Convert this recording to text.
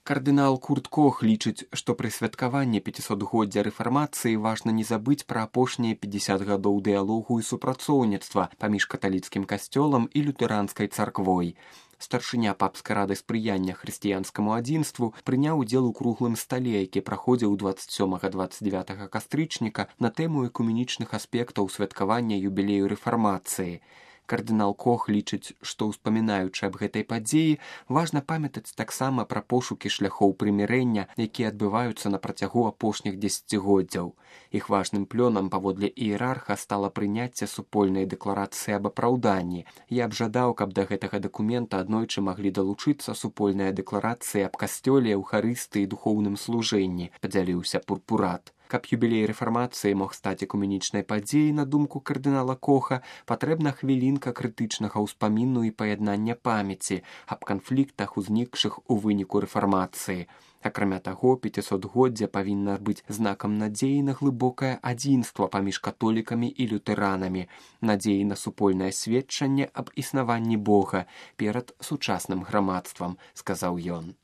Кардынал Курт Кох лічыць, што пры святкаванні 500-годдзя рэфармацыі важна не забыць пра апошнія 50 гадоў дыялогу і супрацоўніцтва паміж каталіцкім касцёлам і лютэранскай царквой. Старшыня папскай рады спрыяння хрысціянскаму адзінству прыняў удзел у круглым стале, які праходзіў 27-29 кастрычніка на тэму экуменічных аспектаў святкавання юбілею рэфармацыі. Кардынал Кох лічыць, што, успамінаючы аб гэтай падзеі, важна памятаць таксама пра пошукі шляхоў прымірэння, якія адбываюцца на працягу апошніх дзесяцігоддзяў. Іх важным плёнам паводле іерарха стала прыняцце супольнай дэкларацыі аб апраўданні. Я б жадаў, каб да гэтага дакумента аднойчы маглі далучыцца супольная дэкларацыя аб касцёле, эўхарыстыі і духоўным служэнні, падзяліўся Пурпурат. Каб юбілей рэфармацыі мог стаць экуменічнай падзеяй, на думку кардынала Коха, патрэбна хвілінка крытычнага ўспаміну і паяднання памяці аб канфліктах, узнікшых у выніку рэфармацыі. Акрамя таго, 500-годдзя павінна быць знакам надзеі на глыбокае адзінства паміж католікамі і лютэранамі, надзеі на супольнае сведчанне аб існаванні Бога перад сучасным грамадствам, сказаў ён.